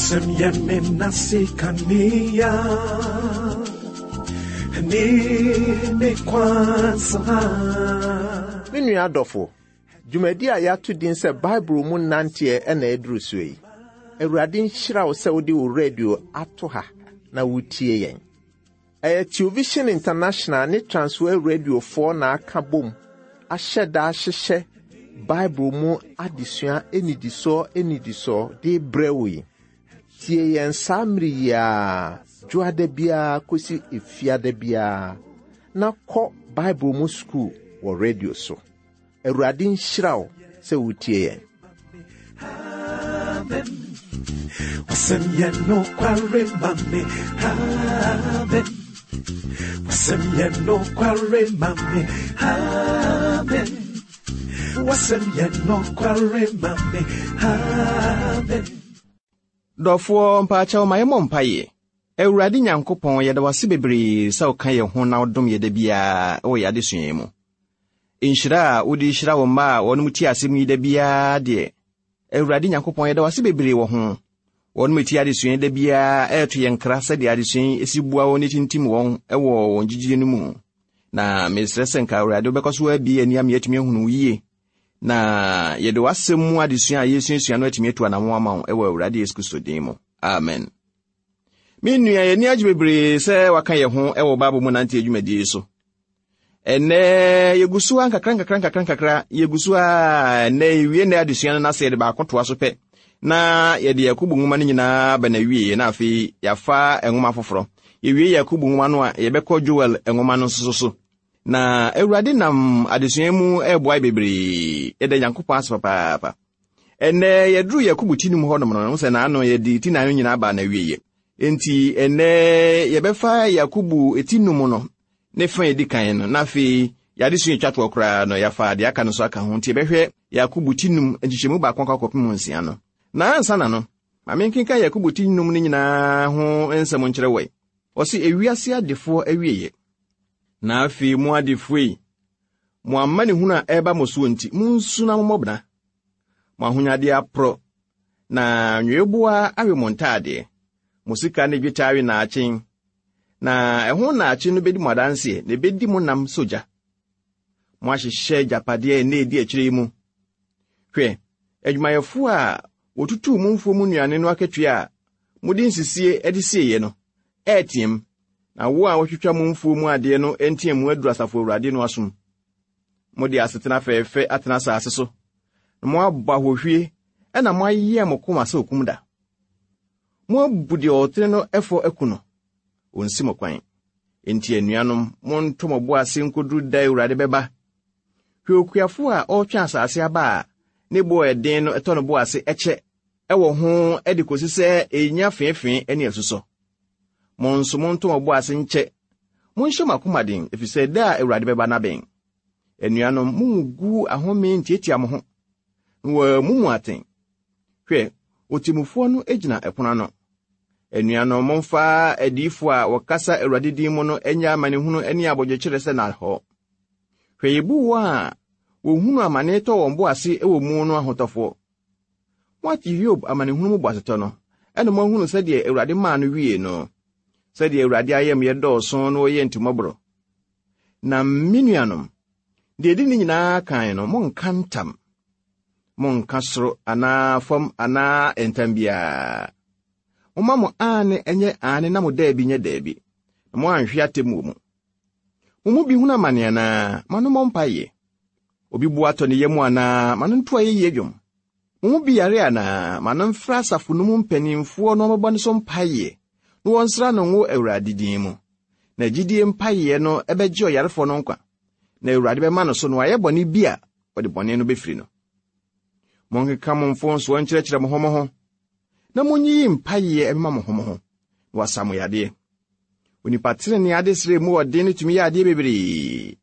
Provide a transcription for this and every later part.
Wasɛm yɛ me nase kanea ne me kwansa. Me nua adɔfo, dwumadi a yɛato din sɛ Bible mu nanteɛ na aduru so yi. Awurade nhyira wo sɛ wode wo radio ato ha na wotie yɛn. Ɛyɛ Television International ne Transworld Radiofoɔ na aka bom ahyɛ da ahyehyɛ Bible mu adesua nnidisoɔ nnidisoɔ de brɛ wo yi. Tie yɛn saa mmere yi ara, dwoada biara kɔsi efiada biara, na kɔ Bible mu sukuu wɔ radio so. Awurade nhyira wo sɛ wotie yɛn. Amen. Wasɛm yɛ nokware ma me. Amen. Wasɛm yɛ nokware ma me. Amen. Wasɛm yɛ nokware ma me. Amen. Dɔfoɔ mpaakyɛw ma yɛmmɔ mpaeɛ. Awurade Nyankopɔn, yɛda wo ase bebree sɛ woka yɛn ho na wodom yɛ da biara wɔ yɛn adesua yi mu. Nhyira a wode hyira wo mma a wɔnom tie asɛm yi da biara deɛ, Awurade Nyankopɔn, yɛda wo ase bebree wɔ ho. Wɔnom tie adesua yi da biara ɛreto yɛn nkra sɛdeɛ adesua yi si boa wɔn ne tintim wɔn wɔ wɔn gyidie no mu. Na mesrɛ sɛ nka Awurade wobɛkɔ so abie ani ama yɛatumi ahunu wo yie na yɛde w'asɛm mu adesua a yɛsuasua no atumi atu anammɔn ama wo wɔ Awurade Yesu Kristo din mu. Amen. Me nua, yɛn ani agye bebree sɛ waka yɛn ho wɔ Bible mu nante adwumadie yi so. Ɛnnɛ yɛgu so a nkakra nkakra nkakra nkakra yɛgu so a ɛnnɛ yɛwie nnɛ adesua no na sɛ yɛde baako toa so pɛ na yɛde Yakobo nwoma no nyinaa ba na wie na afei yɛafa nwoma foforɔ. Yɛwie Yakobo nwoma no a yɛbɛkɔ Joel nwoma no nso so. Na Awurade nam adesua mu ɛreboa bebree. Yɛda Nyankopɔn ase papaapa. Ɛnnɛ yɛduru Yakobo ti num hɔnom no, sɛ n'ano yɛde ti nan no nyinaa baa n'awieɛ. Enti ɛnnɛ yɛbɛfa Yakobo ti num no ne fa edi kan no, na afei yɛadesua etwa toɔ koraa no, yɛafa deɛ aka no so aka ho. Nti yɛbɛhwɛ Yakobo ti num nkyekyɛmu baako akɔ akɔpem nsia no. Na ansa na no, ma menkenkan Yakobo ti num no nyinaa ho nsɛm nkyerɛ wɔ. Ɔse ewiase adefoɔ awieɛ. Na afei mo adefoɔ yi, mo amanehunu a ɛreba mo soɔ nti, monsu na mommɔ bena. Mo ahonyadeɛ aporɔ, na nweweboa awe mo ntaadeɛ. Mo sika ne dwetɛ awe nnaakyen, na ɛho nnaakye no bedi mo adanseɛ, na ebedi mo nam sɛ ogya. Moahyehyɛ agyapadeɛ nna edi akyire yi mu. Hwɛ, adwumayɛfoɔ a wɔtutuu mo mfuo mu nnuane no akatua a mode nsisie de sieeɛ no, ɛreteam, na wo a wɔtwitwa mo mfuo mu adeɛ no nteamu aduru Asafo Awurade no asom. Mode asetena fɛɛfɛ atena asase so, na moabɔ ahohwie, ɛna moayɛ mo koma sɛ okum da. Moabu deɛ ɔtene no fɔ aku no, ɔnsi mo kwan. Enti anuanom, monto mo bo ase nkoduru da Awurade bɛba. Hwɛ okuafo a ɔretwe asase aba a ne bo a ɛden no tɔ no bo ase kyɛ wɔ ho de kosi sɛ enya feefee ne asusɔ. Mo nso monto mo bo ase nkyɛ. Monhyɛ mo akoma den, efisɛ da a Awurade bɛba no abɛn. Anuanom, munngu ahome ntiatia mo ho, na wɔammu mo atɛn. Hwɛ, otemmufoɔ no gyina ɛpono ano. Anuanom, momfa adiyifoɔ a wɔkasa Awurade din mu no nyɛ amanehunu ne abodwokyerɛ sɛ nnahɔɔ. Hwɛ, yebu wɔn a wɔhunu amane tɔ wɔn bo ase wɔ mu no ahotɔfoɔ. Moate Hiob amanehunu mu boasetɔ no, ɛna moahunu sɛdeɛ Awurade maa no wiee no, sɛdeɛ Awurade ayamyɛ dɔɔso na ɔyɛ ntimmɔborɔ. Na me nuanom, deɛ ɛdi ne nyinaa kan no, monnka ntam. Monnka soro anaa fam anaa ntam biara. Momma mo aane nyɛ aane na mo daabi nyɛ daabi, na moanhwe atemmuo mu. Mo mu bi hunu amane anaa? Ma no mmɔ mpaeɛ. Obi bo atɔ ne yam anaa? Ma no nto ayɛyie dwom. Mo mu bi yare anaa? Ma no mfrɛ asafo no mu mpanimfoɔ na wɔmmɛbɔ ne so mpaeɛ, na wɔnsra no ngo Awurade din mu. Na gyidie mpaeɛ no bɛgye ɔyarefoɔ no nkwa, na Awurade bɛma no so na wayɛ bɔne bi a wɔde bɔne no bɛfiri no. Monkeka mo mfomsoɔ nkyerɛkyerɛ mo ho mo ho, na monyiyi mpaeɛ mma mo ho mo ho, na wɔasa mo yadeɛ. Onipa tenenee adesrɛ mu ɔden no tumi yɛ adeɛ bebree.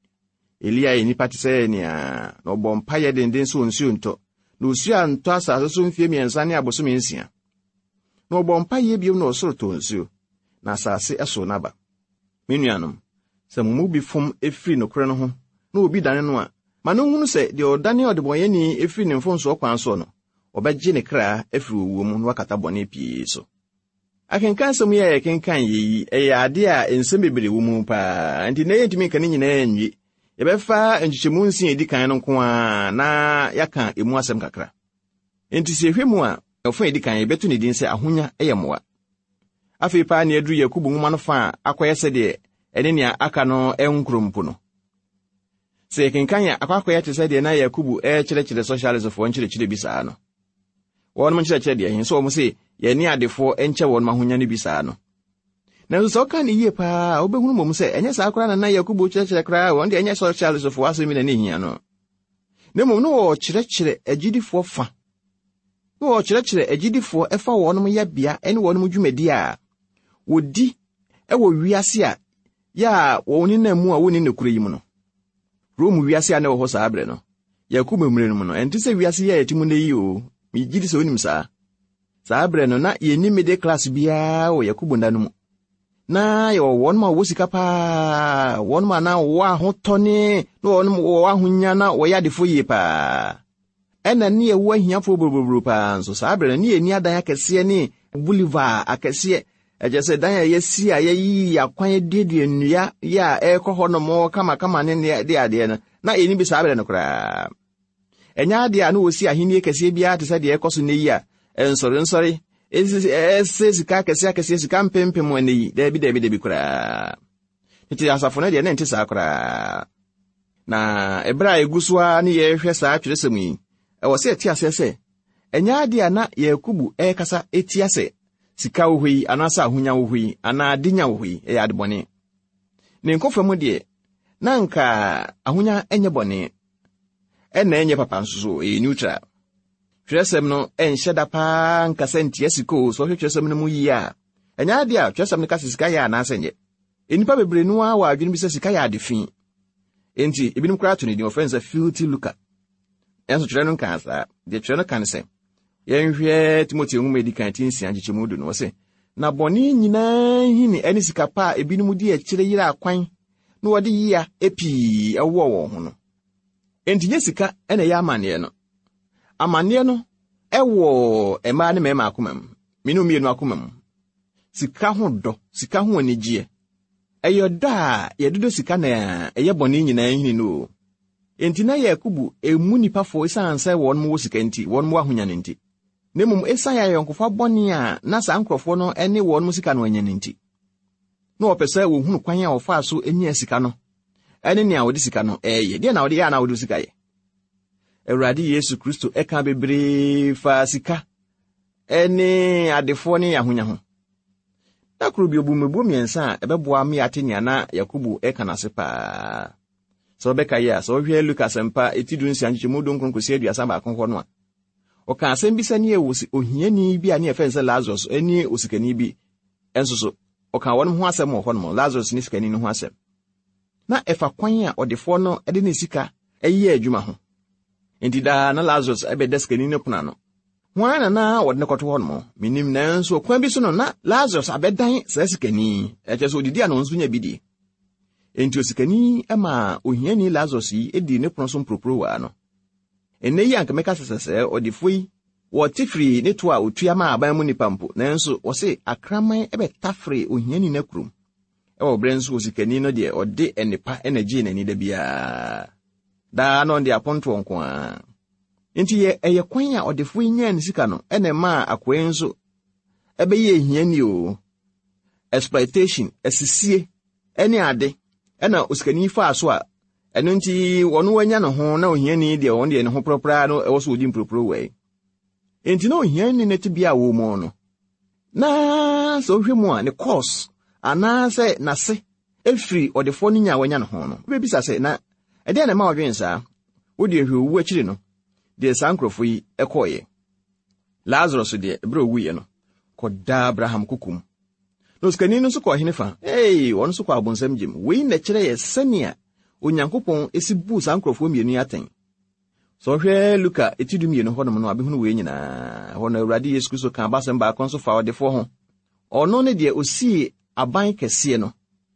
Elia yɛ nipa te sɛ nea na ɔbɔ mpaeɛ denden sɛ nsuo ntɔ, na osuo antɔ asase so mfeɛ mmiɛnsa ne abosome nsia. Na ɔbɔ mpaeɛ bio na ɔsoro tɔɔ nsuo, na asase sow n'aba. Me nuanom, sɛ mo mu bi fom firi nokorɛ no ho na obi dane no a, ma no nhunu sɛ deɛ ɔdane ɔdebɔneyɛni firi ne mfomsoɔ kwan soɔ no, ɔbɛgye ne kra afiri owuo mu na wakata bɔne pii so. Akenkan nsɛm yi a yɛkenkan yɛ yi, ɛyɛ ade a nsɛm bebree wɔ mu paa, nti na yɛntumi nka ne nyinaa nwie. Yɛbɛfa nkyekyɛmu nsia a edi kan no nko ara na yɛaka emu asɛm kakra. Enti sɛ yɛhwɛ mu a, ɔfa a edi kan yɛbɛto ne din sɛ Ahonya yɛ Mmoa. Afei paa na yɛaduru Yakobo nwoma no fa a akɔyɛ sɛdeɛ ɛne nea aka no nkoro mpo no. Sɛ yɛkenkan a, akɔ akɔyɛ te sɛ deɛ na Yakobo rekyerɛkyerɛ sɔhyialisfoɔ nkyerɛkyerɛ bi saa no. Wɔnom nkyerɛkyerɛ deɛ he sɛ wɔn se yɛne adefoɔ nkyɛ wɔnom ahonya no bi saa no. Nanso sɛ ɔka ne yie paa a, wobɛhunu mmom sɛ ɛnyɛ saa koraa na na Yakobo kyerɛkyerɛ koraa, wɔn deɛ ɛnyɛ sɔhyialisfoɔ asɛm bi na ne hia no. Na mmom na wɔrekyerɛkyerɛ agyidifoɔ fa. Na wɔrekyerɛkyerɛ agyidifoɔ ɛfa wɔnom yɛbea ne wɔnom dwumadi a wɔdi wɔ wiase a yɛ a wɔn nenam mu a wɔnni nokorɛ yi mu no. Rome wiase a na ɛwɔ hɔ saa berɛ no, Yakobo mmerɛ no mu no, ɛnte sɛ wiase yi a yɛte mu nnɛ yi o. Megye di sɛ wonim saa. Saa berɛ no, na yɛnni middle class biara wɔ Yakobo nna no mu. Na yɛwɔ wɔn a wɔwɔ sika paa, wɔn a na wɔwɔ ahotɔ ne na wɔn wɔwɔ ahonya na wɔyɛ adefoɔ yie paa. Ɛna ne yɛwɔ ahiafoɔ buroburo paa nso. Saa berɛ no, ne yɛnni adan akɛseɛ ne boulevard akɛseɛ. Ɛkyerɛ sɛ dan a yɛasi a yɛayiyi akwan aduadua nnua yɛ a ɛrekɔ hɔ nom kamakama ne ne de adeɛ no, na yɛnni bi saa berɛ no koraa. Ɛnyɛ adeɛ a na wɔsi ahennie kɛseɛ biara te sɛ deɛ ɛkɔ so nnɛ yi a nsɔrensɔre ɛsɛ sika akɛseɛ akɛseɛ sika mpempem ɛnnɛ yi. Daabi, daabi, daabi koraa. Tete asafo no deɛ na ɛnte saa koraa. Na ɛberɛ a ɛgu so ara ne yɛrehwɛ saa twerɛsɛm yi, ɛwɔ sɛ yɛte aseɛ sɛ ɛnyɛ adeɛ a na Yakobo ɛrekasa ɛtia sɛ sika wɔ hɔ yi anaasɛ ahonya wɔ hɔ yi anaa adenya wɔ hɔ yi ɛyɛ adebɔne. Ne nkɔfa mu deɛ, na anka ahonya nyɛ bɔne. Ɛna ɛnyɛ papa nso so, ɛyɛ neutral. Twerɛsɛm no ɛnhyɛ da paa nkasa ntia sika o, sɛ ɔhwɛ twerɛsɛm no mu yie a, ɛnyɛ adeɛ a twerɛsɛm no ka sɛ sika yɛ anaasɛ nyɛ. Nnipa bebree no ara wɔ adwene bi sɛ sika yɛ ade fi. Enti, ebinom koraa to ne din, wɔfrɛ no sɛ filthy lucre. Nanso twerɛ no nkaa saa. Deɛ twerɛ no ka ne sɛ, yɛnhwɛ Timoteo nwoma edi kan ti nsia nkyekyɛmu du no, ɔse, na bɔne nyinaa nhini ne sika pa a ebinom di akyire yera akwan na wɔde yea pii wowɔ wɔn ho no. Enti nyɛ sika na ɛyɛ amanneɛ no. Amanneɛ no wɔ mmaa ne mmarima akoma mu, mene mmienu akoma mu. Sika ho dɔ, sika ho anigyeɛ. Ɛyɛ ɔdɔ a yɛdodɔ sika na ɛyɛ bɔne nyinaa nhini no o. Enti na Yakobo mmu nnipa fɔ esiane sɛ wɔn wɔ sika nti, wɔn wɔ ahonya no nti. Na mmom esiane ayɔnkofa bɔne a na saa nkurɔfoɔ no ne wɔn sika no anya no nti. Na wɔpɛ sɛ wɔhunu kwan a wɔfaa so nyaa sika no ne nea wɔde sika no ɛreyɛ. Deɛ na wɔde yɛ a na wɔde sika yɛ. Awurade Yesu Kristo ɛka bebree faa sika ne adefoɔ ne ahonya ho. Da koro bi obu mmebuo mmiɛnsa a ɛbɛboa me ate nea na Yakobo ɛka no ase paa. Sɛ wobɛka yɛ a, sɛ wohwɛ Luka Asɛmpa eti dunsia nkyekyɛmu dunkron kɔsi aduasa baako hɔ no a, ɔka asɛm bi sɛ ne yɛ ohiani bi a ne yɛfrɛ no sɛ Lazarus ne osikani bi nso so. Ɔka wɔn ho asɛm wɔ hɔnom, Lazarus ne sikani no ho asɛm. Na ɛfa kwan a ɔdefoɔ no de ne sika yɛ adwuma ho. Enti daa na Lazarus bɛda sikani no pono ano. Hwan na na wɔde no kɔto hɔnom? Menim, nanso ɔkwan bi so no na Lazarus abɛdan saa sikani yi. Ɛkyerɛ sɛ odidi a na ɔno nso nya bi di. Enti osikani yi maa ohiani Lazarus yi dii ne pono so mporoporowa no. Ɛnnɛ yi anka mɛka sɛ sɛ ɔdefoɔ yi wɔte firi ne to a otua ma aban mu nnipa mpo, nanso wɔse akraman bɛtafere ohiani no akurom. Ɛwɔ berɛ nso osikani no deɛ ɔde nnepa na gyee n'ani da biara. Daa na ɔde apontoɔ nko ara. Enti yɛ ɛyɛ kwan a ɔdefoɔ yi nyaa ne sika no na ɛmaa akoa yi nso ɛbɛyɛɛ hiani o. Exploitation, asisie ne ade ɛna osikani faa so a ɛno nti wɔn wanya ne ho na ohiani deɛ wɔn deɛ ne ho porɔporɔ no ɛwɔ so wɔdi mporoporo wɔ yi. Enti na ohiani no tebea a wɔwɔ mu no, na sɛ wohwɛ mu a ne course anaasɛ n'ase efiri ɔdefoɔ no nya a wanya ne ho no, wobɛbisa sɛ na ɛdeɛn na ɛma ɔdwen saa? Wo deɛ hwɛ owu akyiri no, deɛ saa nkurɔfoɔ yi kɔɔeɛ. Lazarus deɛ, berɛ a ɔwuiɛ no, kɔdaa Abraham koko mu. Na osikani no nso kɔɔ hene fa? Ee, ɔno nso kɔɔ abonsam gyem. Wei na ɛkyerɛ yɛ sɛnea Onyankopɔn si buu saa nkurɔfoɔ mmienu yi atɛn. Sɛ ɔhwɛ Luka ti dumienu hɔnom no a, bɛhunu wei nyinaa. Ɛhɔ no, Awurade Yesu Kristo kaa abasɛm baako nso faa ɔdefoɔ ho. Ɔno ne deɛ ɔsii aban kɛseɛ no.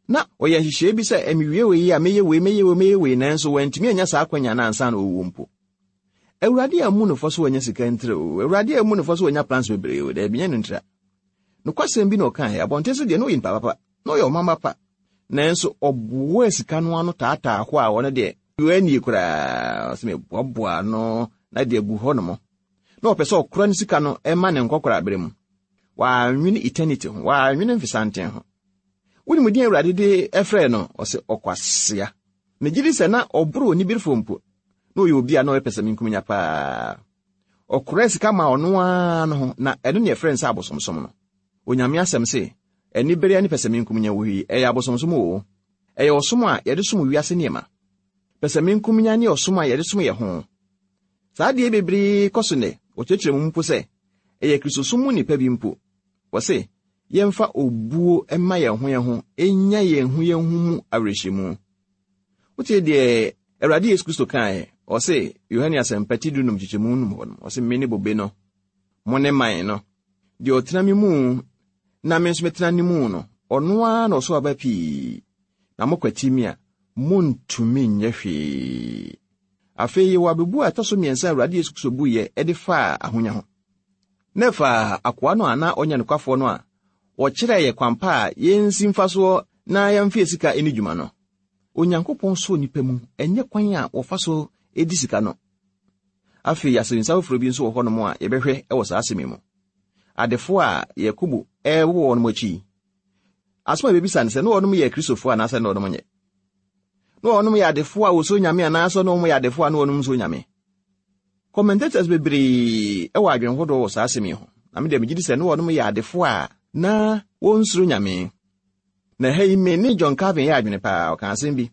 Na ɔyɛ nhyehyɛe bi sɛ, mewie wei a, mɛyɛ wei, mɛyɛ wei, mɛyɛ wei, nanso wantumi anya saa akwanya no ansa na ɔwuo mpo. Awurade ammu no fɔ sɛ wanya sika ntira o. Awurade ammu no fɔ sɛ wanya plans bebree o. Daabi, nyɛ no ntira. Nokwasɛm bi na ɔkae, abɔnten so deɛ na ɔyɛ nipa papa, na ɔyɛ ɔmamma pa. Nanso ɔboaa sika no ano taataa hɔ a ɔno deɛ wannie koraa. Ɔsɛ meboaboa ano na de agu hɔ nom. Na ɔpɛ sɛ ɔkora ne sika no ma ne nkɔkorabere mu. Wannwene eternity ho, wannwene mfesanten ho. Wonim din Awurade de frɛɛ no? Ɔsɛ ɔkwasea. Megye di sɛ na ɔboro oniberefo mpo. Na ɔyɛ obi a na ɔyɛ pɛsɛmenkominya paa. Ɔkoraa sika maa ɔno ara no ho, na ɛno ne ɛfrɛ no sɛ abosomsom no. Onyame asɛm se, anibere ne pɛsɛmenkominya wɔ hɔ yi, ɛyɛ abosomsom oo. Ɛyɛ ɔsom a yɛde som wiase nneɛma. Pɛsɛmenkominya ne ɔsom a yɛde som yɛn ho. Saa adeɛ bebree kɔ so nnɛ, wɔkyerɛkyerɛ mu mpo sɛ, ɛyɛ Kristosom mu nnipa bi mpo. Wɔse, yɛmfa obuo mma yɛn ho yɛn ho, nnya yɛn ho yɛn ho mu awerɛhyɛmu. Wotie deɛ Awurade Yesu Kristo kaeɛ? Ɔse, Yohane Asɛmpa ti dunum kyekyɛmu num hɔ no, ɔse, Mene bobe no, mo ne mman no. Deɛ ɔtena me mu na me nso metena ne mu no, ɔno ara na ɔso aba pii. Na mokwati me a, montumi nyɛ hwee. Afei yɛwɔ abebuo a ɛtɔ so mmiɛnsa a Awurade Yesu Kristo buiɛ de faa ahonya ho. Na ɛfa akoa no a na ɔnyɛ nokwafoɔ no a wɔkyerɛɛ yɛ kwan pa a yɛnsi mfasoɔ na yɛmfa yɛ sika nni dwuma no. Onyankopɔn sɔ nnipa mu, ɛnyɛ kwan a wɔfa so di sika no. Afei asɛmmisa foforɔ bi nso wɔ hɔnom a yɛbɛhwɛ wɔ saa asɛm yi mu. Adefo a Yakobo rebobɔ wɔn akyi yi, asɛm a yɛbɛbisa ne sɛ, na wɔnom yɛ Kristofo anaasɛ na wɔnom nyɛ? Na wɔnom yɛ adefo a wɔsuro Nyame anaasɛ na wɔn yɛ adefo a na wɔnom nsuro Nyame? Commentators bebree wɔ adwene hodoɔ wɔ saa asɛm yi ho. Na me deɛ megye di sɛ na wɔnom yɛ adefo a na wɔnsuro Nyame. Na ha yi me ne John Calvin yɛ adwene paa, ɔka asɛm bi.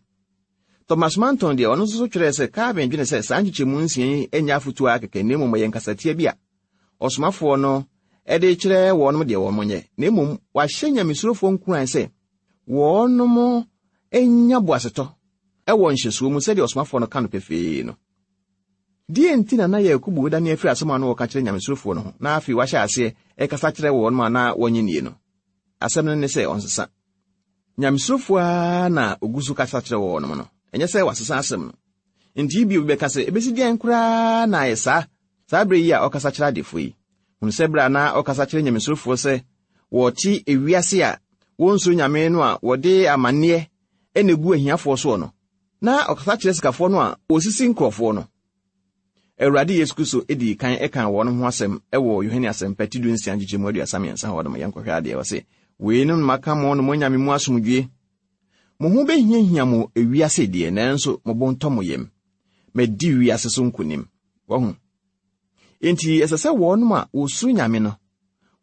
Thomas Manton deɛ ɔno nso so twerɛɛ sɛ Calvin dwene sɛ saa nkyekyɛmu nsia yi nyɛ afotuo ara kɛkɛ na mmom ɛyɛ nkasatia bi a ɔsomafoɔ no de rekyerɛ wɔnom deɛ wɔn nyɛ, na mmom wahyɛ nyamesurofoɔ nkuran sɛ wɔnom nya boasetɔ wɔ nhyɛsoɔ mu sɛdeɛ ɔsomafoɔ no ka no pefee no. Deɛ nti na na Yakobo redane afiri asɛm a na ɔka kyerɛ nyamesurofoɔ no ho na afei wahyɛ aseɛ rekasa kyerɛ wɔnom a na wɔnnye nnie no? Asɛm no ne sɛ ɔnsesa. Nyamesurofoɔ ara na ɔgu so kasa kyerɛ wɔnom no, ɛnyɛ sɛ wasesa asɛm no. Enti ebia obi bɛka sɛ, ebesi dɛn koraa na ayɛ saa saa bere yi a ɔkasa kyerɛ adefo yi? Hunu sɛ bere a na ɔkasa kyerɛ nyamesurofoɔ sɛ wɔte ewiase a wonsuro Nyame no a wɔde amanneɛ na egu ahiafoɔ soɔ no, na ɔkasa kyerɛ sikafoɔ no a wɔsisi nkurɔfoɔ no. Awurade Yesu Kristo dii kan kaa wɔn ho asɛm wɔ Yohane Asɛmpa ti dunsia nkyekyɛmu 33 hɔ nom. Yɛnkɔhwɛ adeɛ, ɔse, Weinom na maka mo na moanya me mu asomdwie. Mo ho behiahia mo ewiase deɛ, nanso mo bo ntɔ mo yam. Madi wiase so nkonim. Wahu? Enti ɛsɛ sɛ wɔnom a wɔsuro Nyame no,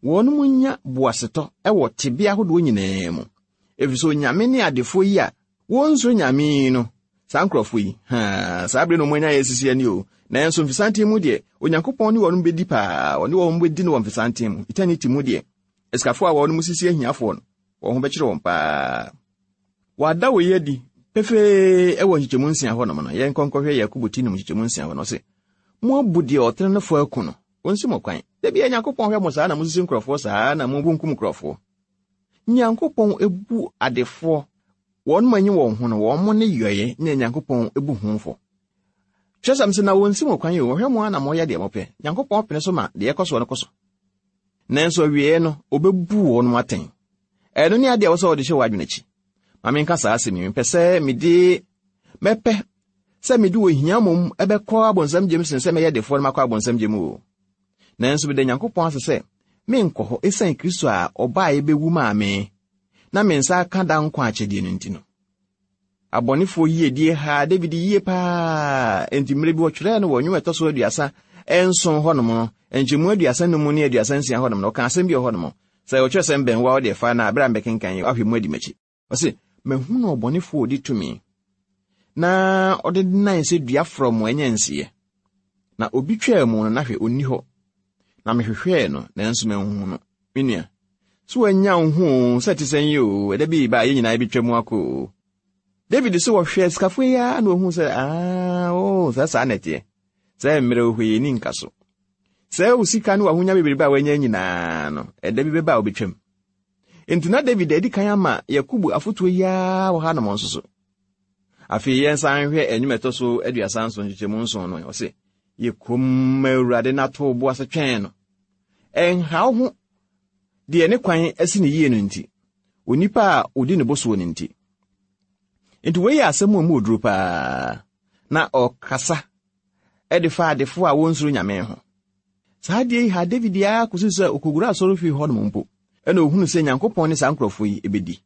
wɔnom nya boasetɔ wɔ tebea ahodoɔ nyinaa mu. Ɛfiri sɛ Onyame ne adefoɔ yi a wɔnsuro Nyame yi no, saa nkurɔfoɔ yi, haa, saa bere na wɔn anya yɛ sisi ani o. Nanso mfesanten mu deɛ, Onyankopɔn ne wɔnom bɛdi paa, ɔne wɔn bɛdi no wɔ mfesanten mu. Eternity mu deɛ, asikafoɔ a wɔnom sisi ahiafoɔ no, wɔn ho bɛkyere wɔn paa. Wɔada wei adi pefee wɔ nkyekyɛmu nsia hɔnom no. Yɛnkɔ nkɔhwɛ Yakobo ti num nkyekyɛmu nsia hɔ no, ɔse, Moabu deɛ ɔtene no fɔ aku no, ɔnsi mo kwan. Da biara Nyankopɔn hwɛ mo saa na mosisi nkurɔfoɔ saa na mobunkum nkurɔfoɔ. Nyankopɔn bu adefoɔ, wɔn anyi wɔn ho no, wɔn ne yɔeɛ na Nyankopɔn bu ho fɔ. Twerɛsɛm se, na wɔnsi mo kwan o, wɔhwɛ mo ara na moyɛ deɛ mopɛ. Nyankopɔn pene so ma deɛ ɛkɔ soɔ no kɔ so. Nanso awieeɛ no, ɔbɛbu wɔn atɛn. Ɛno ne adeɛ a ɛwɔ sɛ wɔde hyɛ w'adwene akyi. Ma menka saa asɛm yi, mepɛ sɛ mede mɛpɛ sɛ mede ohia mmom ɛbɛkɔ abonsam gyem sen sɛ mɛyɛ defoɔ no makɔ abonsam gyem o. Nanso meda Nyankopɔn ase sɛ menkɔ hɔ esiane Kristo a ɔbaeɛ bɛwu maa me na me nsa aka da nkwa akyɛdeɛ no nti no. Abɔnefoɔ yiedie haa David yie paa, enti mmerɛ bi wɔtwerɛɛ no wɔ nnwom ɛtɔ so 37 hɔnom no, nkyɛmu 35 ne 36 hɔnom no, ɔka asɛm bi wɔ hɔnom. Sɛ ɔtwerɛ sɛm bɛn wo a, wode fa na berɛ a mebɛkenkan yi, woahwɛ mu adi m'akyi. Ɔse, Mahunu ɔbɔnefoɔ a ɔdi tumi, na ɔde nan sɛ dua frɔmm a ɛnyɛ nseɛ. Na obi twaa mu no, na hwɛ, ɔnni hɔ. Na mehwehwɛɛ no, nanso manhu no. Me nua, so woanya wo ho oo, sɛ ɛte sɛn yi oo, ɛda bi reba a yɛn nyinaa yɛbɛtwa mu akɔ oo. David so wɔhwɛɛ sikafo yi ara na ohuu sɛ, aa, oo, sɛ saa na ɛteɛ. Sɛ mmerɛ wɔ hɔ yi, ɛni nka so. Sɛ wo sika ne w'ahonya bebrebe a woanya nyinaa no, ɛda bi bɛba a wobɛtwam. Enti na David adi kan ama Yakobo afotuo yi ara wɔ hanom nso so. Afei yɛnsan nhwɛ nnwom ɛtɔ so 37 nkyekyɛmu nson no, ɔse, Yɛ komm ma Awurade na to wo bo ase twɛn no. Ɛnha wo ho. Deɛ ne kwan asi ne yie no nti, onipa a ɔdi ne bo soɔ no nti. Enti wei yɛ asɛm a mu oduro paa, na ɔkasa de fa adefo a wɔnsuro Nyame ho. Saa adeɛ yi ha David ara kɔsi sɛ ɔkɔwura asɔrefie hɔnom mpo, ɛna ɔhunu sɛ Nyankopɔn ne saa nkurɔfoɔ yi bɛdi.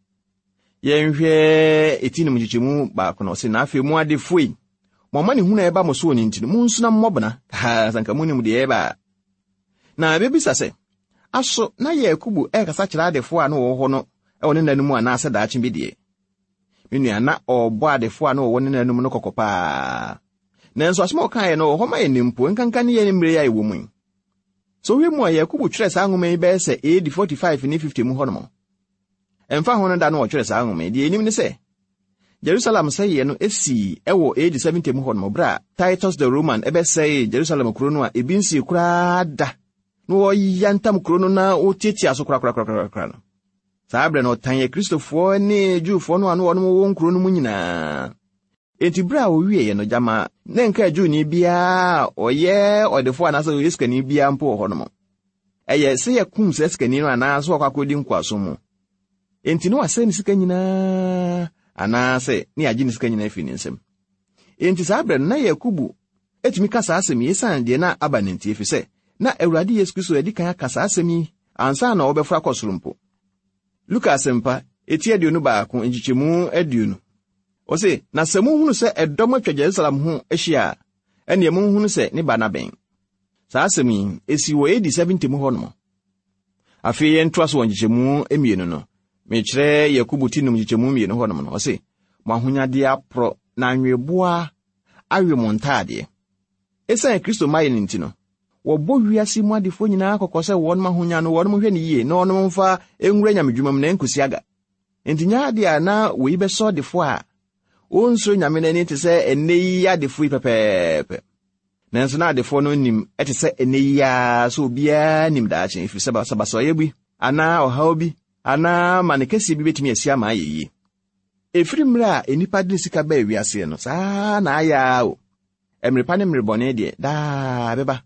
Yɛnhwɛ eti no mu nkyekyɛmu baako no, ɔse, Na afei mo adefo yi, mo amanehunu a ɛba mo soɔ no nti no, monsu na mommɔ bena, haa, sɛ anka monim deɛ ɛreba a. Na ɛbɛbisa sɛ, Aso na Yakobo rekasa kyerɛ adefo a na wɔwɔ hɔ no wɔ ne nna no mu anaasɛ daakye bi deɛ? Me nua, na ɔrebɔ adefo a na wɔwɔ ne nna no mu no kɔkɔ paa. Nanso asɛm a ɔkaeɛ no wɔ hɔ ma yɛn mpo, nkanka ne yɛn mmerɛ yi a yɛwɔ mu yi. Sɛ wohwɛ mu a, Yakobo twerɛɛ saa nwoma yi bɛyɛ sɛ AD 45 ne 50 mu hɔnom. Ɛmfa ho no da no wɔtwerɛ saa nwoma yi, deɛ yɛnim ne sɛ, Jerusalem sɛeɛ no sii wɔ AD 70 mu hɔnom berɛ a Titus the Roman bɛsɛee Jerusalem kuro no a ebi nsii koraa da na wɔyantam kuro no na wɔtiatia so korakorakorakora no. Saa berɛ no ɔtan Akristofoɔ ne Jewfoɔ no a na wɔnom wɔ nkuro no mu nyinaa. Enti berɛ a wɔwieeɛ no, gyama na nka Jewni biara a ɔyɛ ɔdefoɔ anaasɛ ɔyɛ sikani biara mpo wɔ hɔnom. Ɛyɛ sɛ yɛkum saa sikani no anaasɛ ɔkɔ akɔdi nkoasom mu. Enti na wasɛe ne sika nyinaa anaasɛ ne yɛagye ne sika nyinaa afiri ne nsam. Enti saa berɛ no na Yakobo tumi ka saa asɛm yi esiane deɛ na aba no nti, efisɛ na Awurade Yesu Kristo adi kan aka saa asɛm yi ansa na ɔrebɛforo akɔ soro mpo. Luka Asɛmpa, eti 21, nkyekyɛmu 20. Ɔse, Na sɛ mohunu sɛ ɛdɔm atwa Jerusalem ho ahyia a, ɛnneɛ monhunu sɛ ne ba no abɛn. Saa asɛm yi, esii wɔ AD 70 mu hɔnom. Afei yɛntoa so wɔ nkyekyɛmu mmienu no. Mekyerɛ Yakobo ti num nkyekyɛmu mmienu hɔnom no. Ɔse, Mo ahonyadeɛ aporɔ, na anweboa awe mo ntaadeɛ. Esiane Kristo mmaeɛ no nti no, wɔbɔ wiase mu adefoɔ nyinaa kɔkɔ sɛ wɔnom ahonya no wɔnom nhwɛ no yie na wɔnom mfa nwura nyamedwuma mu na ɛnkɔsi aga. Enti nyɛ adeɛ a na wei bɛsɔ ɔdefoɔ a ɔnsuro Nyame no ani te sɛ ɛnnɛ yi adefoɔ yi pɛpɛɛpɛ. Nanso na adefoɔ no nim te sɛ ɛnnɛ yi ara sɛ obiara nim daakye, ɛfiri sɛ basabasayɛ bi anaa ɔhaw bi anaa amane kɛseɛ bi bɛtumi asi ama ayɛ yie. Ɛfiri mmerɛ a nnipa de sika baa wiaseɛ no, saa ara na ayɛ ara o. Mmere pa ne mmere bɔne deɛ, daa ɛbɛba.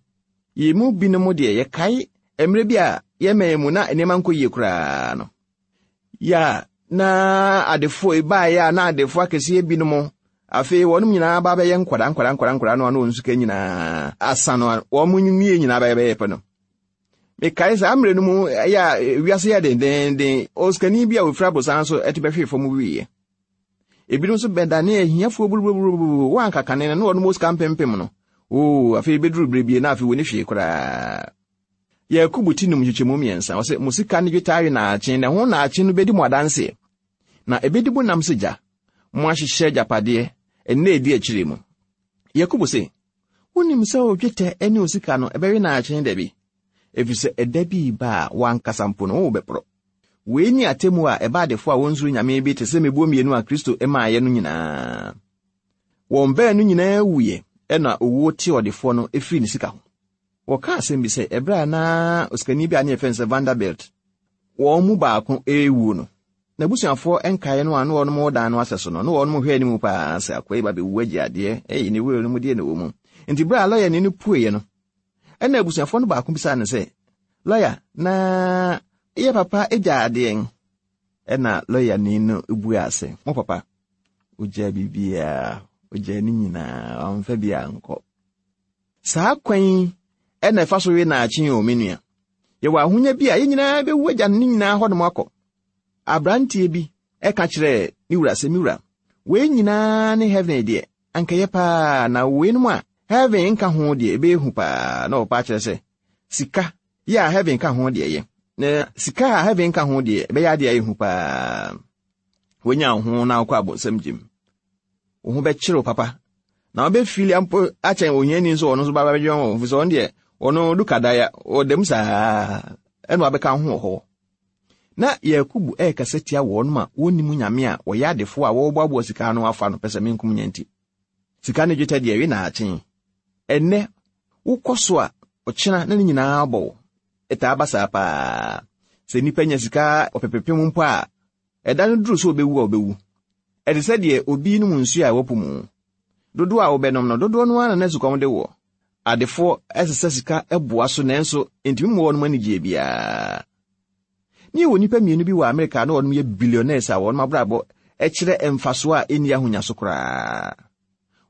Yɛn mu binom deɛ, yɛkae mmerɛ bi a yɛn man mu na nneɛma nkɔ yie koraa no. Yɛ a na adefoɔ ebaeɛ a na adefoɔ akɛseɛ binom afei wɔnom nyinaa ba bɛyɛ nkwadaa nkwadaa nkwadaa nkwadaa no ano wɔn sika nyinaa asa no wɔn nwie nyinaa bɛyɛ bɛyɛ pɛ no. Mekae saa mmerɛ no mu ɛyɛ a wiase yɛ dendenden osikani bi a ofiri abosan so ɛte bɛhwee fam wieɛ. Ebinom nso bɛdane ahiafoɔ buruburuburuburu wɔn anka kane no na wɔnom wɔ sika mpempem no. Oo afei bɛduru berɛ bie na afei wɔni hwee koraa. Yakobo ti num nkyekyɛmu mmiɛnsa, ɔsɛ, Mo sika ne dwetɛ awe naakye, na ɛho naakye no bɛdi mo adanseɛ, na ɛbɛdi mo nam sɛ gya. Moahyehyɛ agyapadeɛ, nna ɛdi akyire mu. Yakobo se, Wonim sɛ wo dwetɛ ne wo sika no, ɛbɛwe naakye da bi, ɛfiri sɛ ɛda bi reba a w'ankasa mpo no, wobɛporɔ. Wei ne atemmuo a ɛba adefoɔ a wɔnsuro Nyame bi te sɛ mmebuo mmienu a Kristo maeɛ no nyinaa. Wɔn baanu nyinaa wuiɛ, ɛna owuo tee ɔdefoɔ no firii ne sika ho. Wɔka asɛm bi sɛ ɛberɛ a na osikani bi a ne yɛfrɛ no sɛ Vanderbilt wɔn mu baako rewuo no, n'abusuafoɔ nkaeɛ no a na wɔnom wɔ dan no asɛ so no, na wɔnom hwɛ anim paa sɛ akoa yi ba bɛwu agye adeɛ, ɛyi ne wura no mu deɛ na ɛwɔ mu. Nti berɛ a lɔyani no pueeɛ no, ɛna abusuafoɔ no baako bisaa no sɛ, Lɔya, na yɛ papa gya adeɛn? Ɛna lɔyani no buaa sɛ, Mo papa, ɔgyaa biribiara, ɔgyaa ne nyinaa, wamfa bi ankɔ. Saa kwan yi na ɛfa so we naakye o, me nua. Yɛwɔ ahonya bi a yɛn nyinaa bɛwu agya no ne nyinaa hɔnom akɔ. Aberanteɛ bi ka kyerɛɛ ne wura sɛ, Me wura, wei nyinaa ne heaven deɛ, anka ɛyɛ paa, na weinom a heaven nka ho deɛ, ɛbɛyɛ hu paa. Na ɔpa akyerɛ sɛ, sika yɛ a heaven ka ho deɛ ɛyɛ, na sika a heaven nka ho deɛ, ɛbɛyɛ adeɛ a ɛyɛ hu paa. Wonya wo ho na wokɔ abonsam gyem. Wo ho bɛkyere wo papa. Na wobɛfili ampo akyɛn ohiani nso ɔno nso ba bɛdwe ho, ɛfiri sɛ ɔno deɛ ɔno duka daya, ɔda mu saa ɛna wabɛka ho wɔ hɔ. Na Yakubu ɛrekasa tia wɔn a wɔnnim Nyame a wɔyɛ adefoɔ a wɔreboaboa sika ano afa no pɛ sɛ menkum nya nti. Sika ne dwetɛ deɛ we naakye. Ɛnnɛ wokɔ so a ɔkyena na ne nyinaa bɔ wo. Ɛtaa ba saa paa. Sɛ nnipa nya sika ɔpepepem mpo a, Ɛda no duru sɛ obewu a, obewu. Ɛte sɛ deɛ obi renom nsuo a ɛwɔ po mu. Dodoɔ a wobɛnom no, dodoɔ no ara na na sukɔm de woɔ. Adefoɔ sesa sika boa so nanso ɛntumi mmoa wɔn anigyeɛ biara. Ne yɛwɔ nnipa mmienu bi wɔ Amerika a na wɔnom yɛ billionaires a wɔnom abrabɔ kyerɛ mfasoɔ a ɛnni ahonya so koraa.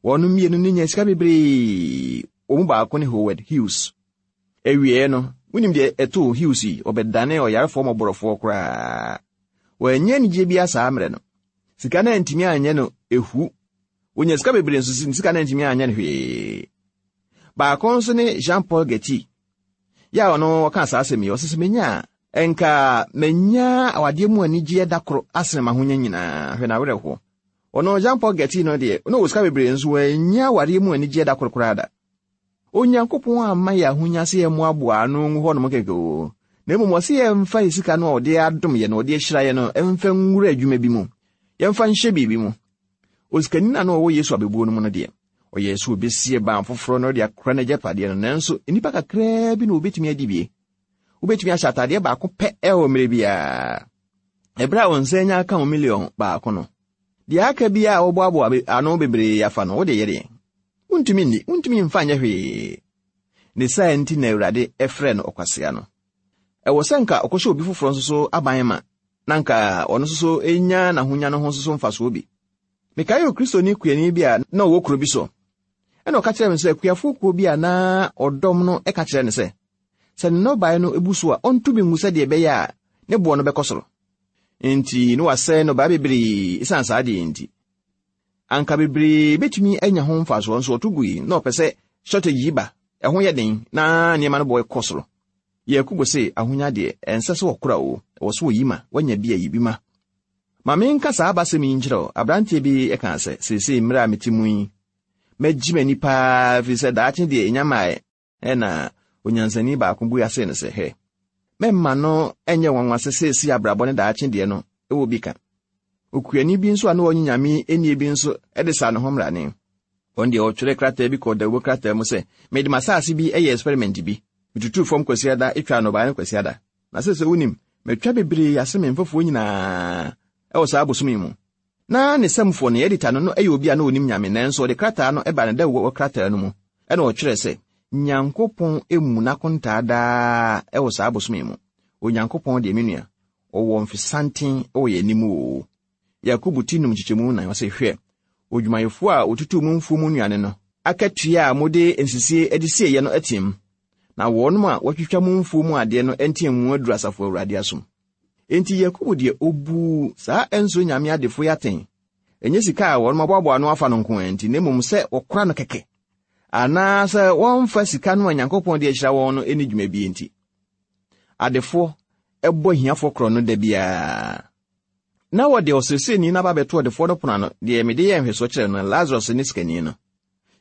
Wɔnom mmienu no nya sika bebree. Wɔn mu baako ne Howard Hughes. Awieeɛ no, wonim deɛ ɛtoo Hughes yi? Ɔbɛdanee ɔyarefoɔ mmɔborɔfoɔ koraa. Wannya anigyeɛ biara saa mmerɛ no. Sika no antumi anyɛ no ehu. Wɔnya sika bebree nso sika no antumi anyɛ no hwee. Baako nso ne Jean Paul Getty. Yɛ a ɔno ɔka saa asɛm yi, ɔsɛ sɛ menya a, nka manya awadeɛ mu anigyeɛ da koro asene m'ahonya nyinaa. Hwɛ n'awerɛhoɔ. Ɔno Jean Paul Getty no deɛ, na ɔwɔ sika bebree nso wannya awadeɛ mu anigyeɛ da koro koraa da. Onyankopɔn amma yɛn ahonya sɛ yɛmmoaboa ano ngu hɔnom kɛkɛ o, na mmom ɔse yɛmfa yɛn sika no a ɔde adom yɛn na ɔde ahyira yɛn no mfa nwura adwuma bi mu, yɛmfa nhyɛ biribi mu. Osikani no a na ɔwɔ Yesu abebuo no mu no deɛ, ɔyɛɛ sɛ obesie ban foforɔ na ɔde akora n'agyapadeɛ no, nanso nnipa kakraa bi na wɔbɛtumi adi bie. Wobɛtumi ahyɛ ataadeɛ baako pɛ wɔ mmerɛ biara. Ɛberɛ a wo nsa anya aka wo miliɔn baako no, deɛ aka biara a wɔboaboa ano bebree afa no, wode yɛ deɛn? Wontumi nni, wontumi mfa nyɛ hwee. Ne saa nti na Awurade frɛɛ no ɔkwasea no. Ɛwɔ sɛ nka ɔkɔhyɛ obi foforɔ nso so aban ma, na nka ɔno nso so nya n'ahonya no ho nso so mfasoɔ bi. Mekae Okristoni kuani bi a na ɔwɔ kuro bi so. Ɛna ɔka kyerɛɛ me sɛ akuafoɔ kuo bi a na ɔdɔm no ka kyerɛ no sɛ, sɛ ne nnɔbaeɛ no bu so a, ɔnto bi ngu sɛdeɛ ɛbɛyɛ a ne boɔ no bɛkɔ soro. Enti na wasɛe nnɔbaeɛ bebree esiane saa adeɛ yi nti. Anka bebree betumi anya ho mfasoɔ nso ɔto gui na ɔpɛ sɛ shortage yi ba, ɛho yɛ den na nneɛma no boɔ kɔ soro. Yakubu se ahonya deɛ, ɛnsɛ sɛ wɔkora o, ɛwɔ sɛ wɔyi ma, woanya bi a yi bi ma. Ma menka saa abasɛm yi nkyerɛ wo, aberanteɛ bi kaa sɛ, seesei mmerɛ a mete mu yi, mɛgye m'ani paa ɛfiri sɛ daakye deɛ ɛnya mmaeɛ. Ɛnna onyansani baako bua see no sɛ, Hwɛ, mɛmma no nyɛ nwanwa sɛ seesei abrabɔ ne daakye deɛ no wɔ bi ka. Okuani bi nso a na ɔnye Nyame nnie bi nso de saa ne ho mmrane. Ɔno deɛ ɔtwerɛɛ krataa bi kɔɔ dawubɔ krataa mu sɛ, Mede m'asase bi yɛɛ experiment bi. Metutuu fam Kwasiada twaa nnɔbaeɛ no Kwasiada. Na seesei wonim, matwa bebree ase me mfɛfoɔ nyinaa wɔ saa bosome yi mu. Na ne samufo, ne edita no, no yɛ obi a na onim Nyame, nanso ɔde krataa no baa ne dawubɔ krataa no mu, ɛna ɔtwerɛɛ sɛ, Nyankopɔn mmu n'akontaa daa wɔ saa bosome yi mu. Onyankopɔn deɛ, me nua, ɔwɔ mfesanten wɔ yɛn anim oo. Yakobo ti num nkyekyɛmu nan, ɔse, Hwɛ, odwumayɛfoɔ a ɔtutuu mo mfuo mu nnuane no, akatua a mode nsisie de sieeɛ no ateam, na wɔnom a wɔatwitwa mo mfuo mu adeɛ no nteamu aduru Asafo Awurade asom. Enti Yakobo deɛ obuu saa ɛnsuro nyame adefo yi atɛn, ɛnyɛ sika a wɔn aboaboa ano afa no nko ara nti, na mmom sɛ wɔkora no kɛkɛ, anaasɛ wɔmfa sika no a Nyankopɔn de ahyira wɔn no nni dwuma bi nti. Adefoɔ bɔ ahiafoɔ korɔn no da biara. Na wɔde ɔseresereni no aba abɛto ɔdefoɔ no pono ano, deɛ mede yɛɛ nhwɛsoɔ kyerɛɛ no, Lazarus ne sikani no,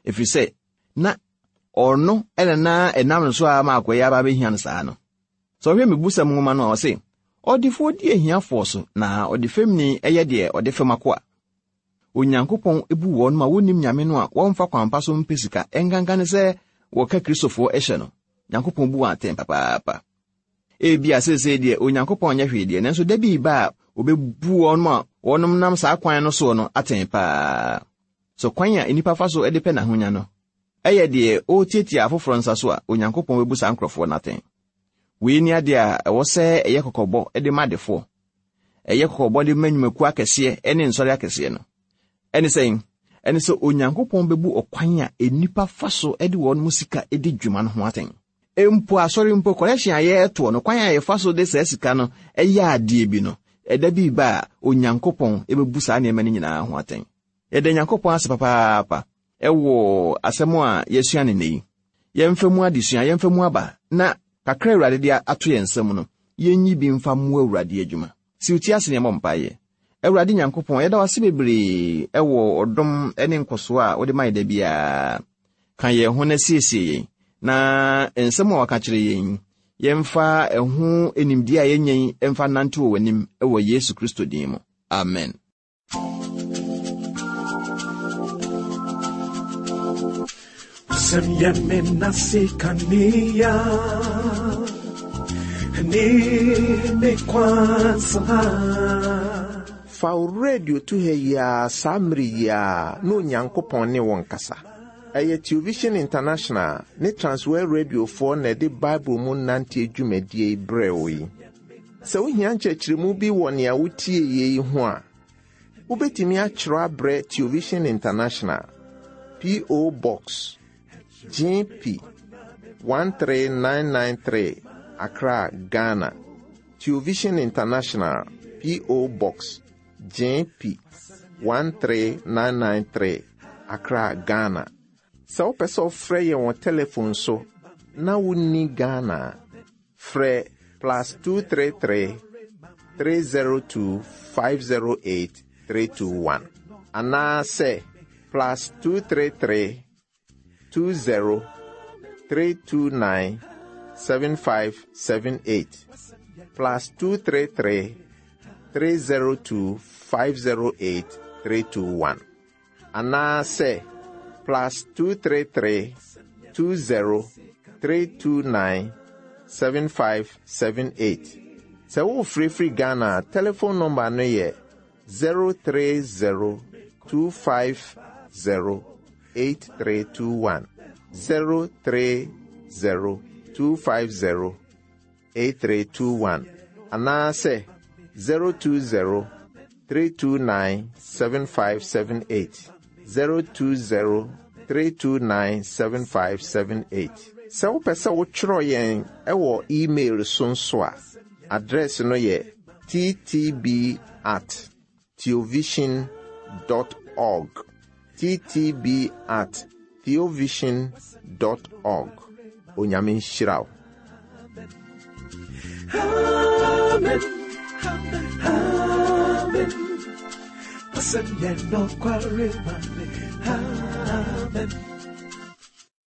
ɛfiri sɛ na ɔno na na ɛnam no so a ama akoa yi aba abɛhia no saa no. Sɛ ɔhwɛ Mmebusɛm nwoma no a, ɔse, Ɔdefoɔ di ahiafoɔ so, na ɔdefɛmni yɛ deɛ ɔde fɛm akoa. Onyankopɔn bu wɔn ma wonnim Nyame no a wɔmfa kwan pa so mpɛ sika, ɛnkanka ne sɛ wɔka Kristofoɔ hyɛ no. Nyankopɔn bu wɔn atɛn papaapa. Ebia seesei deɛ Onyankopɔn nyɛ hwee deɛ, nanso da bi reba a obebu wɔn a wɔnom nam saa kwan no soɔ no atɛn paa. So kwan a nnipa fa so de pɛ n'ahonya no yɛ deɛ ɔretiatia afoforɔ nsa so a, Onyankopɔn bɛbu saa nkurɔfoɔ no atɛn. Wei ne adeɛ a ɛwɔ sɛ ɛyɛ kɔkɔbɔ de ma adefoɔ. Ɛyɛ kɔkɔbɔ de ma nnwumakuo akɛseɛ ne nsɔre akɛseɛ no. Ɛne sɛn? Ɛne sɛ Onyankopɔn bɛbu ɔkwan a nnipa fa so de wɔn mu sika di dwuma no ho atɛn. Mpo asɔre mpo, kɔlɛhyen a yɛretoɔ no, kwan a yɛfa so de saa sika no yɛ adeɛ bi no, ɛda bi reba a Onyankopɔn bɛbu saa nneɛma no nyinaa ho atɛn. Yɛda Nyankopɔn ase papaapa wɔ asɛm a yɛasua no nnɛ yi. Yɛmfa mu adesua, yɛmfa mu aba, na kakra a Awurade de ato yɛn nsam no, yɛnyi bi mfa mmoa Awurade adwuma. Si wo ti ase na yɛmmɔ mpaeɛ. Awurade Nyankopɔn, yɛda wo ase bebree wɔ ɔdom ne nkɔsoɔ a wode ma yɛn da biara. Ka yɛn ho na siesie yɛn, na nsɛm a waka kyerɛ yɛn yi, yɛmfa ɛho nimdeɛ a yɛanya yi mfa nnante wɔ w'anim wɔ Yesu Kristo din mu. Amen. Fa wo radio to ha yi ara saa mmere yi ara na Onyankopɔn ne wo nkasa. Ɛyɛ Television International ne Transworld Radiofoɔ na ɛde Bible mu nanteɛ dwumadie yi brɛɛ wo yi. Sɛ wohia nkyerɛkyerɛmu bi wɔ nea wotie yei ho a, wobɛtumi akyerɛ abrɛ Television International, P.O. Box GP 13993, Accra, Ghana. Television International, P.O. Box JP 13993, Accra, Ghana. Sɛ wopɛ sɛ wofrɛ yɛn wɔ telefon so na wonni Ghana a, frɛ plus 233 302 508 321 anaasɛ plus 233 20 329 7578 plus 233 302 508 321 anaasɛ plus 233 20 329 7578. Sɛ wofirifiri Ghana a, telephone number no yɛ 030 250 8321. 030 250 8321 anaasɛ 020 329 7578. 020 329 7578. Sɛ wopɛ sɛ wotwerɛ yɛn ɛwɔ email so nso a, address no yɛ ttb at theovision dot org. Ttb at theovision dot org. Onyame nhyira wo. Amen. Amen. Amen.